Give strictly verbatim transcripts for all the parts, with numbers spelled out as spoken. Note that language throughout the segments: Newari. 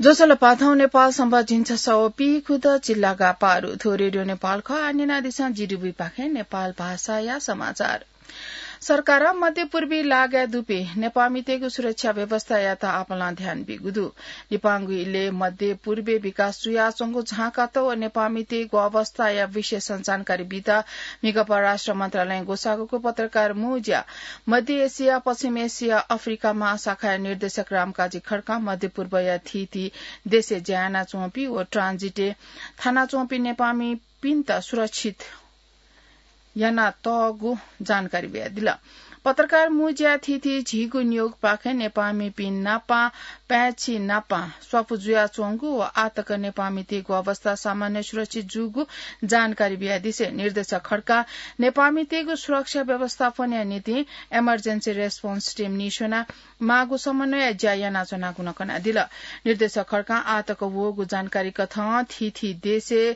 ज्वजलपा, थौं नेपाल संवत् झिंछसः व पीखुदँ चिल्लागा पारु। थ्व रेडियो नेपाल खः। आः न्यनादिसँ जीडीबी पाखें नेपाल भाषाया समाचार। सरकारं मध्यपूर्वी लागाय् दुपिं नेपाःमितय्गु सुरक्षा व्यवस्थायात आपालं ध्यान बीगु दु। लिपांगु इलय् मध्यपूर्वय् विकास जुयाच्वंगु झांकात व नेपाःमितय्गु अवस्थाया विषयसं जानकारी बीत म्हिगः परराष्ट्र मन्त्रालयं ग्वसाःगु पत्रकार मू ज्या मध्य एसिया, पश्चिम एसिया, अफ्रिका महाशाखाया निर्देशक रामकाजी खड्कां मध्यपूर्वया थीथी देशय् ज्या यानाच्वंपिं व ट्रान्जिटय् थानाच्वंपिं नेपाःमिपिन्त सुरक्षित यानातःगु जानकारी बियादिल। पत्रकार मू ज्या थीथी झीगु नियोगपाखें नेपाःमिपिं नापं पाय्छि नापं स्वापू जुयाच्वंगु व आःतक नेपाःमितय्गु अवस्था सामान्य सुरक्षित जूगु जानकारी बियादिसें निर्देशक खड्कां नेपाःमितय्गु सुरक्षा व्यवस्थापनया निंतिं emergency response team निस्वनाः माःगु समन्वयया ज्या यानाच्वनागु नं कनादिल। निर्देशक खड्कां आःतक वःगु जानकारी कथं थीथी देशय्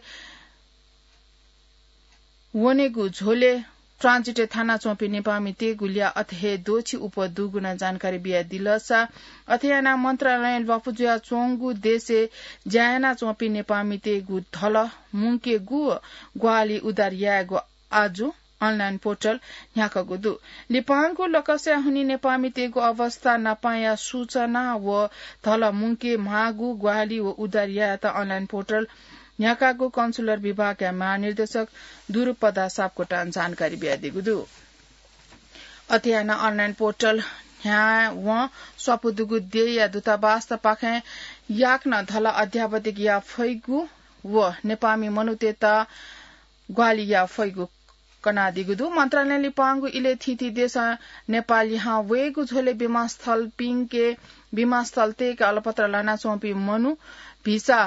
वनेगु झ्वलय् ट्रान्जिटय् थानाच्वंपिं नेपाःमितय्गु ल्याः अथे हे द्वःछि उपः दुगु नं जानकारी बियादिलसा, अथे यानाः मन्त्रालयं ल्वापु जुयाच्वंगु देशय् ज्या यानाच्वंपिं नेपाःमितय्गु धलः मुंकेगु व ग्वाहालि उद्धार यायेगु आजु online portal न्ह्याकागु दु। लिपांगु लकस्या हुनिं नेपाःमितय्गु अवस्था नापंया सूचना व धलः मुंके माःगु ग्वाहालि व उद्धार यायेत online portal न्ह्याकागु consular विभागया महानिर्देशक दुरुपदा सापकोटां जानकारी बियादीगु दु। अथे यानाः online portal न्ह्यावं स्वापू दुगु देय्या दूतावासपाखें याकनं धलः अध्यावधिक याये फइगु व नेपाःमि मनूतय्त ग्वाहालि याये फइगु कनादीगु दु। मन्त्रालयं लिपांगु इलय् थीथी देशं नेपाः लिहां वयेगु झ्वलय् विमानस्थलपिंके, विमानस्थलतय्के अलपत्र लानाच्वंपिं मनू भिसा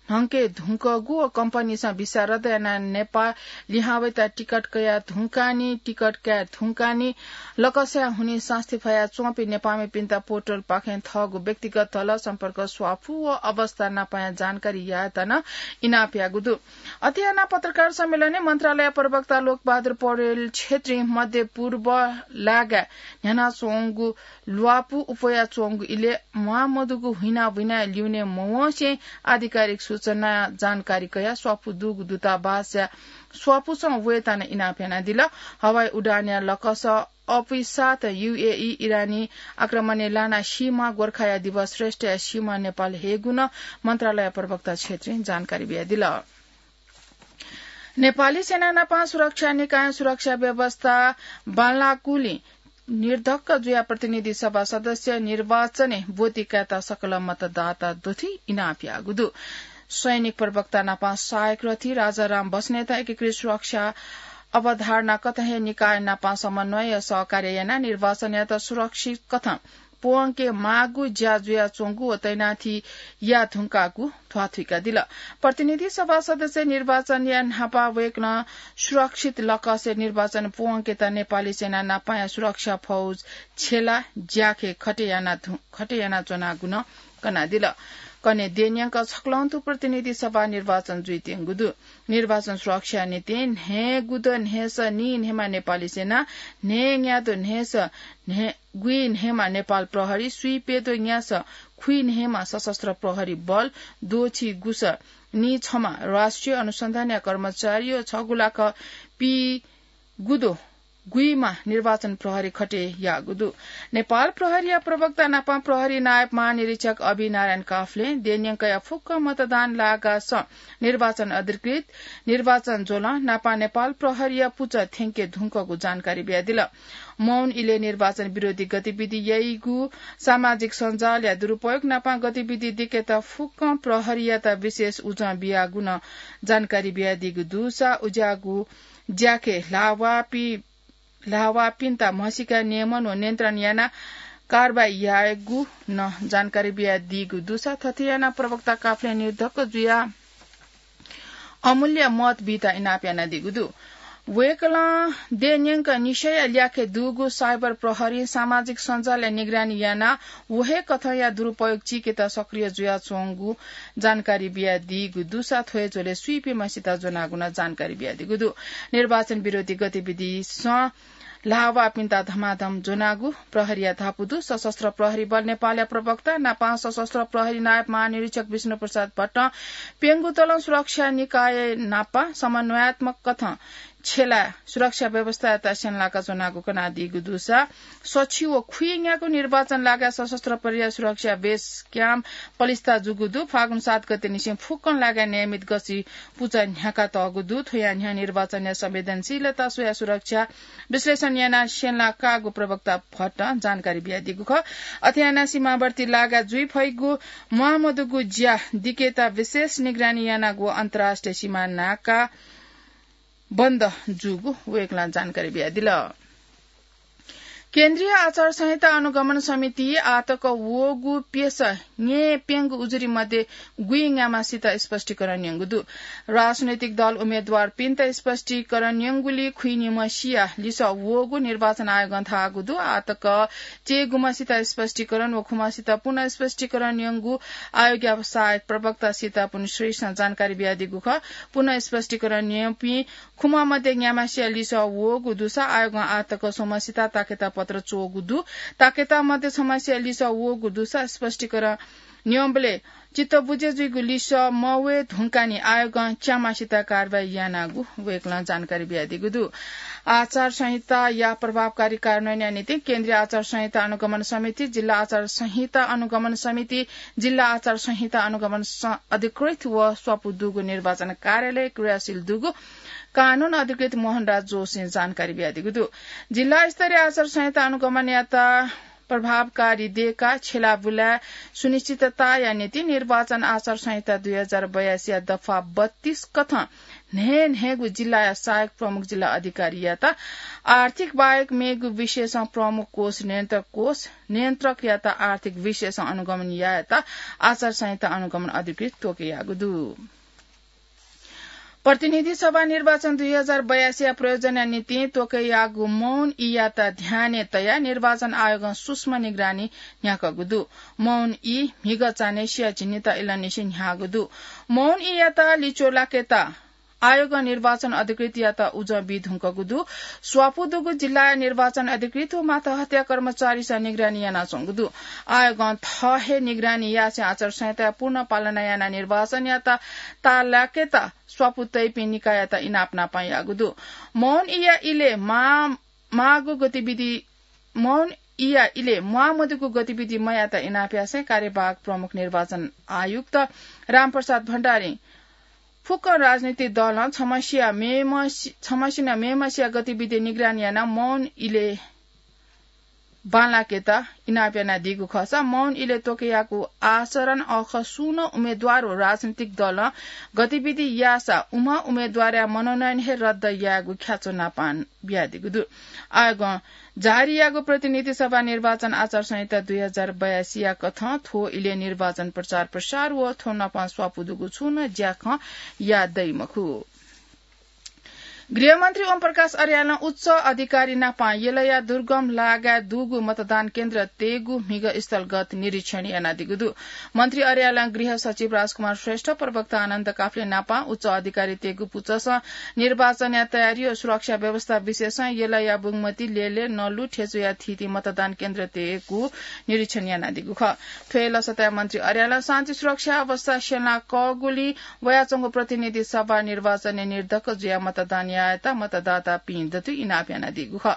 न्हंके धुंकूगु व कम्पनीसं भिसा रद्द यानाः नेपाः लिहां वयेत टिकट कयाः धुंकाःनि, टिकट काये धुंकाःनि, लकस्या हुनिं सास्ती फयाच्वंपिं नेपाःमिपिन्त portal पाखें थःगु व्यक्तिगत धलः, सम्पर्क, स्वापू व अवस्था नापंया जानकारी यायेत नं इनाप याःगु दु। अथे यानाः पत्रकार सम्मेलनय् मन्त्रालय प्रवक्ता लोकबहादुर पौडेल छेत्रीं मध्य पूर्व लागाय् न्ह्यानाच्वंगु ल्वापु उपयाच्वंगु इलय् म्वाःमदुगु हुइना बुइना ल्यूने मवंसें आधिकारिक सूचना जानकारी कयाः स्वापु दुगु दूतावासया स्वापुसं वयेत नं इनाप यानादिल। हवाई उडानया लकस अपिसात यूएई इरानी आक्रमणय् लानाः सीम्ह गोर्खाया दिवस श्रेष्ठया सीम्ह नेपाल हयेगु नं मन्त्रालय प्रवक्ता छेत्रीं जानकारी बियादिल। नेपाली सेना नापं सुरक्षा निकायं सुरक्षा व्यवस्था बांलाःगुलिं निर्धक्क जुयाः प्रतिनिधि सभा सदस्य निर्वाचनय् ब्वति कायेत सकल मतदाता दथुइ इनाप याःगु दु। सैनिक प्रवक्ता नापं सहायक रथी राजाराम बस्नेतं एकीकृत सुरक्षा अवधारणा कथं हे निकाय नापं समन्वय सहकार्य यानाः निर्वाचनयात सुरक्षित कथं प्वंके माःगु ज्या जुयाच्वंगु व तैनाथी याये धुंकाःगु ध्वाथुइकादिल। प्रतिनिधि सभा सदस्य निर्वाचनया न्हापा वय्कलं सुरक्षित लकसय् निर्वाचन प्वंकेत नेपाली सेना नापंया सुरक्षा फौज छेला ज्याखँय् खटे याना धु-, खटे यानाच्वनागु नं कनादिल। कन्हय् देय्‌न्यंक छक्वलं तुं प्रतिनिधि सभा निर्वाचन जुइत्यंगु दु। निर्वाचन सुरक्षाया निंतिं न्हय्‌गुद्वः न्हय्‌सः नीन्हय्‌म्ह नेपाली सेना, न्हय्‌न्याद्वः न्हय्‌सः न्हय्-, गुइन्हय्‌म्ह नेपाल प्रहरी, स्वीप्यद्वः न्यासः खुइन्हय्‌म्ह सशस्त्र प्रहरी बल, द्वःछि गुसः नीछम्ह राष्ट्रिय अनुसन्धानया कर्मचारी व छगू लाख पीगुद्वः गुइम्ह निर्वाचन प्रहरी खटे याःगु दु। नेपाल प्रहरीया प्रवक्ता नापं प्रहरी नायब महानिरीक्षक अभि नारायण काफ्लें देय्‌न्यंकया फुक्क मतदान लागासं निर्वाचन अधिकृत, निर्वाचन ज्वलं नापं नेपाल प्रहरीया पुचः थ्यंके धुंकूगु जानकारी बियादिल। मौन इलय् निर्वाचन विरोधी गतिविधि याइगु, सामाजिक सञ्जालया दुरुपयोग नापं गतिविधि दिकेत फुक्कं प्रहरीयात विशेष उजं बियागु नं जानकारी बियादीगु दुसा उज्याःगु ज्याखँय् ल्हाःवाःपि-, ल्हाःवाःपिन्त म्हसीका नियमन व नियन्त्रण यानाः कारवाही यायेगु नं जानकारी बियादीगु दुसा थथे यानाः प्रवक्ता काफ्लें निर्धक्क जुयाः अमूल्य मत बीत इनाप यानादीगु दु। वय्कलं देय्‌न्यंक निसया ल्याखय् दुगु साइबर प्रहरीं सामाजिक सञ्जालया निगरानी यानाः व हे कथंया दुरुपयोग चीकेत सक्रिय जुयाच्वंगु जानकारी बियादीगु दुसा थ्व हे झ्वलय् स्वीपिं म्हसीत ज्वनागु नं जानकारी बियादीगु दु। निर्वाचन विरोधी गतिविधिसं ल्हाःवाःपिन्त धमाधम ज्वनागु प्रहरीया धापू दु। सशस्त्र प्रहरी बल नेपालया प्रवक्ता नापं सशस्त्र प्रहरी नायब महानिरीक्षक विष्णु प्रसाद भट्टं प्यंगू तलं सुरक्षा निकाय नापं समन्वयात्मक कथं छेँय् सुरक्षा व्यवस्थायात स्यंलाका ज्वनागु कनादीगु दुसा सछि व खुइन्यागू निर्वाचन लागाय् सशस्त्र प्रहरीया सुरक्षा बेस क्याम्प पलिस्था जूगु दु। फागुन सात गते निसें फुक्कं लागाय् नियमित गसी पुचः न्ह्याका तःगु दु। थ्वया न्ह्यः निर्वाचनया संवेदनशीलता स्वया सुरक्षा विश्लेषण यानाः स्यंलाकागु प्रवक्ता भट्टं जानकारी बियादीगु खः। अथे यानाः सीमावर्ती लागाय् जुइ फइगु म्वाःमदुगु ज्या दिकेत विशेष निगरानी यानागु अन्तर्राष्ट्रिय सीमा नाका बन्द जूगु वय्कलं जानकारी बियादिल। केन्द्रीय आचार संहिता अनुगमन समिति आतक वःगु प्यसः न्येप्यंगू उजुरी मध्ये गुइन्याम्हसित स्पष्टीकरण न्यंगु दु। राजनैतिक दल उम्मेदवारपिन्त स्पष्टीकरण न्यंगुलिइ खुइन्याम्हसिया लिसः वःगु निर्वाचन आयोगं धाःगु दु। आतक च्यय्गुम्हसित स्पष्टीकरण व खुम्हसित पुनः स्पष्टीकरण न्यंगु आयोगया सहायक प्रवक्ता सीतापुन श्रेष्ठं जानकारी बियादीगु खः। पुनः स्पष्टीकरण न्यंपिं खुम्ह मध्ये न्याम्हसिया लिसः वःगु दुसा आयोगं आतक स्वम्हसित ताकेता पत्र च्वःगु दु। ताकेता मध्ये छम्हसिया लिसः वःगु दुसा स्पष्टीकरण न्यंबलय् चित्त बुझे जुइगु लिसः मवये धुंकाः नं आयोगं च्याम्हसित कारवाही यानागु वय्कलं जानकारी बियादीगु दु। आचार संहिताया प्रभावकारी कार्यान्वयनया निंतिं केन्द्रीय आचार संहिता अनुगमन समिति, जिल्ला आचार संहिता अनुगमन समिति, जिल्ला आचार संहिता अनुगमन स-, अधिकृत व स्वापू दुगु निर्वाचन कार्यालय क्रियाशील दुगु कानून अधिकृत मोहनराज जोशीं जानकारी बियादीगु दु। जिल्ला स्तरीय आचार संहिता अनुगमनयात प्रभावकारी दयेकाः छ्यलाबुलाय् सुनिश्चितताया निंतिं निर्वाचन आचार संहिता दुई हजार बयासीया दफा बत्तीस कथं न्हय्न्हय्गु जिल्लाया सहायक प्रमुख जिल्ला अधिकारीयात आर्थिक बाहेक मेगु विषयसं प्रमुख कोष नियन्त्रक कोष नियन्त्रकयात आर्थिक विषयसं अनुगमन यायेत आचार संहिता अनुगमन अधिकृत त्वःके याःगु दु। प्रतिनिधि सभा निर्वाचन दुई हजार बयासीया प्रयोजनया निंतिं त्वःके याःगु मौन ईयात ध्यानय् तयाः निर्वाचन आयोगं सूक्ष्म निगरानी न्ह्याकूगु दु। मौन ई म्हिगः चान्हय्सिया झिंनिदँ इलंनिसें न्ह्याःगु दु। मौन ईयात लिच्वः लाकेत आयोगं निर्वाचन अधिकृतयात उजं बी धुंकूगु दु। स्वापू दुगु जिल्लाया निर्वाचन अधिकृत व मातहतया कर्मचारीसं निगरानी यानाच्वंगु दु। आयोगं थः हे निगरानी यासें आचार संहिताया पूर्ण पालना यानाः निर्वाचनयात ताः लाकेत स्वापू तइपिं निकाययात इनाप नापं याःगु दु। मौन ईया इलय् मा-, माःगु गतिविधि, मौन ईया इलय् म्वाःमदुगु गतिविधि मयायेत इनाप यासें कार्यवाहक प्रमुख निर्वाचन आयुक्त रामप्रसाद भण्डारीं फुक्क राजनीतिक दलं छम्हसिया मेम्हसि-, छम्हसिनं मेम्हसिया गतिविधि निगरानी यानाः मौन इलय् बांलाकेत इनाप यानादीगु खःसा मौन इलय् त्वःके याःगु आचरण अःखः सुं नं उम्मेदवार व राजनीतिक दलं गतिविधि याःसा उम्ह उम्मेदवारया मनोनयन हे रद्द यायेगु ख्याच्वः नापं बियादीगु दु। आयोगं जारी याःगु प्रतिनिधि सभा निर्वाचन आचार संहिता दुई हजार बयासीया कथं थ्व इलय् निर्वाचन प्रचार प्रसार व थ्व नापं स्वापू दुगु छुं नं ज्याखँ याये दइ मखु। गृहमन्त्री ओम प्रकाश अर्यालं उच्च अधिकारी नापं यलया दुर्गम लागाय् दुगु मतदान केन्द्र तयेगु म्हिगः स्थलगत निरीक्षण यानादीगु दु। मन्त्री अर्यालं गृह सचिव राजकुमार श्रेष्ठ, प्रवक्ता आनन्द काफ्ले नापं उच्च अधिकारी तयेगु पुचःसं निर्वाचनया तयारी व सुरक्षा व्यवस्था विषयसं यलया बुंगमती, लेले, नलु, थेचुया थीथी मतदान केन्द्र तयेगु निरीक्षण यानादीगु खः। थ्व हे लसताय् मन्त्री अर्यालं शान्ति सुरक्षा अवस्था स्यंलाकःगुलिं वयाच्वंगु प्रतिनिधि सभा निर्वाचनय् निर्धक्क जुयाः मतदान यायेत मतदातापिं दथुइ इनाप यानादीगु खः।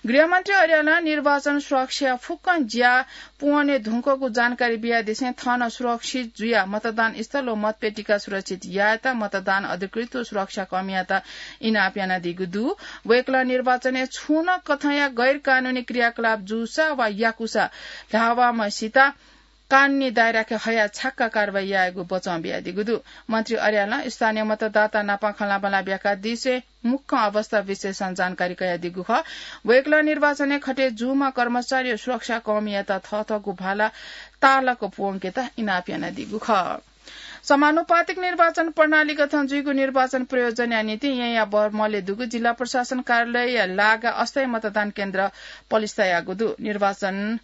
गृहमन्त्री अर्यालं निर्वाचन सुरक्षा फुक्कं ज्या पूवने धुंकूगु जानकारी बियादिसें थन सुरक्षित जुयाः मतदान स्थल व मतपेटिका सुरक्षित यायेत मतदान अधिकृत व सुरक्षाकर्मीयात इनाप यानादीगु दु। वय्कलं निर्वाचनय् छुं नं कथंया गैरकानूनी क्रियाकलाप जूसा वा याकूसा धाःवाम्हसित कानूनी दायराय् हयाः छाक्क कारवाही यायेगु बचं बियादीगु दु। मन्त्री अर्यालं स्थानीय मतदाता नाप खँल्हाबल्हा ब्याकादिसें मुख्य अवस्था विषयसं जानकारी कयादीगु खः। वय्कलं निर्वाचनय् खटे जूम्ह कर्मचारी व सुरक्षाकर्मीयात थःथःगु भाला ताःलाक प्वंकेत इनाप यानादीगु खः। समानुपातिक निर्वाचन प्रणालीकथं जुइगु निर्वाचन प्रयोजनया निंतिं येँया बर्मलय् दुगु जिल्ला प्रशासन कार्यालयया लागाय् अस्थायी मतदान केन्द्र पलिस्था याःगु दु। निर्वाचन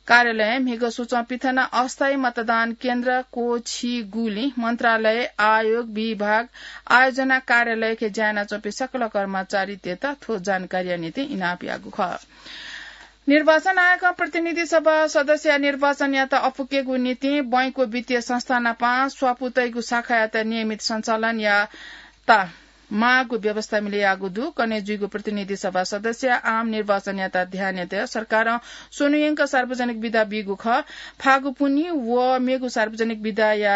कार्यालयं म्हिगः सूचं पिथना अस्थायी मतदान केन्द्र क्वःछिगुलिं मन्त्रालय, आयोग, विभाग, आयोजना कार्यालयके ज्या यानाच्वंपिं सकल कर्मचारीतय्त थ्व जानकारीया निंतिं इनाप याःगु खः। निर्वाचन आयोगं प्रतिनिधि सभा सदस्यया निर्वाचनयात अपुकेगु निंतिं बैंकको वित्तीय संस्था नाप स्वापू तइगु शाखायात नियमित सञ्चालन यायेत माःगु व्यवस्था मिले याःगु दु। कन्हय् जुइगु प्रतिनिधि सभा सदस्यया आम निर्वाचनयात ध्यानय् तयाः सरकारं स्वन्हुयंक सार्वजनिक बिदा बीगु खः। फागुपुन्हि व मेगु सार्वजनिक बिदाया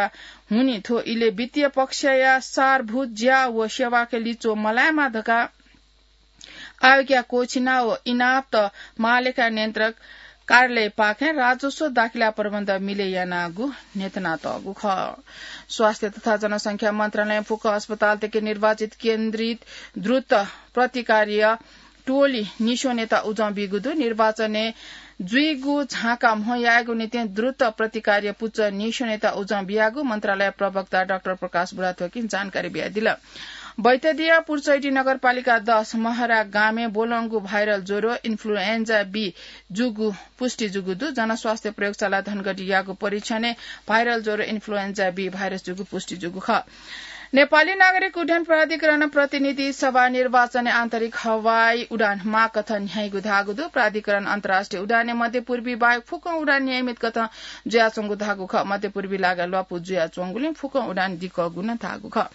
हुनिं थ्व इलय् वित्तीय पक्षया सारभूत ज्या व सेवाके लिच्वः मलायेमा धकाः आयोगया क्वःछिना व इनापत महालेखा नियन्त्रक कार्यालयपाखें राजस्व दाखिला प्रबन्ध मिले यानागु न्ह्यथनातःगु खः। स्वास्थ्य तथा जनसंख्या मन्त्रालयं फुक्क अस्पतालतय्के निर्वाचित केन्द्रित द्रुत प्रतिकार्य टोली न्हिस्वनेत उजं बीगु दु। निर्वाचनय् जुइगु झाँका म्हो यायेगु निंतिं द्रुत प्रतिकार्य पुचः न्हिस्वनेत उजं बियागु मन्त्रालय प्रवक्ता डाक्टर प्रकाश बुढाथोकीं जानकारी बियादिल। बैतडीया पुर्चैडी नगरपालिका दस महरा गामय् ब्वलंगु भाइरल ज्वरो इन्फ्लुएन्जा बी जूगु पुष्टि जूगु दु। जनस्वास्थ्य प्रयोगशाला धनगढीयागु परीक्षणय् भाइरल ज्वरो इन्फ्लुएन्जा बी भाइरस जूगु पुष्टि जूगु खः। नेपाली नागरिक उड्डयन प्राधिकरणं प्रतिनिधि सभा निर्वाचनय् आन्तरिक हवाई उडान माःकथं न्ह्याइगु धाःगु दु। प्राधिकरणं अन्तर्राष्ट्रिय उडानय् मध्यपूर्वी बाहेक फुक्कं उडान नियमित कथं जुयाच्वंगु धाःगु खः। मध्यपूर्वी लागा ल्वापु जुयाच्वंगुलिं फुक्कं उडान दिक्कःगु नं धाःगु खः।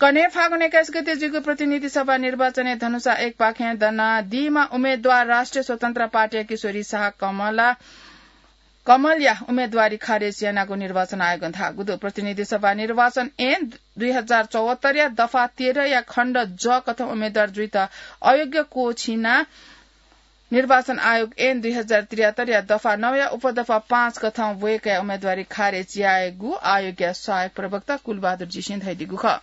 कन्हय् फागुन एक्काइस गते जुइगु प्रतिनिधि सभा निर्वाचनय् धनुषा एकपाखें दनादीम्ह उम्मेद्वार राष्ट्रिय स्वतन्त्र पार्टीया किशोरी शाह कमला कमलया उम्मेद्वारी खारेज यानागु निर्वाचन आयोगं धाःगु दु। प्रतिनिधि सभा निर्वाचन ऐन दुई हजार चौहत्तरया दफा तेह्रया खण्ड ज कथं उम्मेद्वार जुइत अयोग्य क्वःछिना निर्वाचन आयोग ऐन दुई हजार त्रिहत्तरया दफा नौया उपदफा पाँच कथं वय्कःया उम्मेद्वारी खारेज यायेगु आयोगया सहायक प्रवक्ता कुलबहादुर जीसिं धयादीगु खः।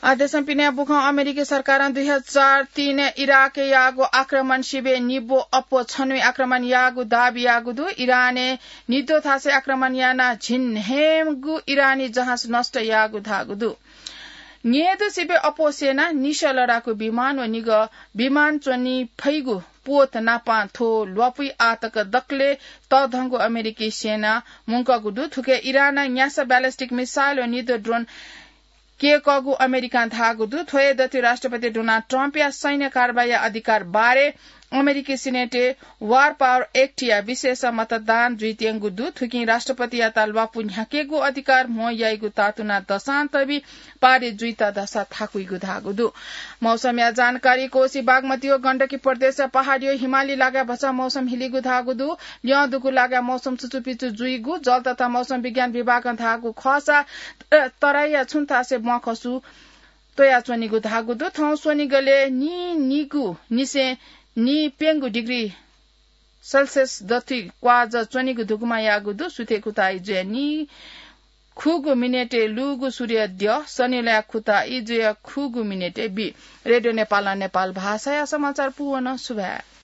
आ देशं पिने बुखं अमेरिकी सरकारं दुई हजार तीन इराकय् याःगु आक्रमण सिबें निब्व अप्व छन्हुइ आक्रमण याःगु दाबी याःगु दु। इरानय् निद्वः थासय् आक्रमण यानाः झिंन्हय्गू इरानी जहाज नष्ट याःगु धाःगु दु। न्येदु सिबें अप्व सेनां निसः लडाकू विमान व निगः विमान च्वनी फइगु पोत नापं थ्व ल्वापुइ आःतक दकलय् तःधंगु अमेरिकी सेनां मुंकःगु दु। थुके इरानं न्यासः ballistic missile व निद्वः drone कय्कःगु अमेरिकां धाःगु दु। थ्व हे दथुइ राष्ट्रपति डोनाल्ड ट्रम्पया सैन्य कारवाहीया अधिकार बारे अमेरिकी सिनेटय् War Power Act या विशेष मतदान जुइत्यंगु दु। थुकिं राष्ट्रपतियात ल्वापु न्ह्याकेगु अधिकार म्हो याइगु तातुना दसां तबि पारित जुइत धसा थाकुइगु धाःगु दु। मौसमया जानकारी। कोसी, बागमती व गण्डकी प्रदेशया पहाडी व हिमाली लागाय् भचा मौसम हिलीगु धाःगु दु। ल्यं दुगु लागाय् मौसम चुचुपिचु जुइगु जल तथा मौसम विज्ञान विभागं धाःगु खःसा, अ, तराईया छुं थासय् ब्वंखसु त्वयाच्वनीगु धाःगु दु। थौं स्वनिगलय् नीनिगू निसें नीप्यंगू degree Celsius दथुइ क्वाःजः च्वनीगु धुकुमा याःगु दु। सुथय् खुताइ जुया नीखुगू मिनेटय् लूगु सूर्य द्यः सनिलया खुताइ जुया खुगू मिनेटय् बी। रेडियो नेपालं नेपाल भाषाया समाचार पूवन। सुभाय्।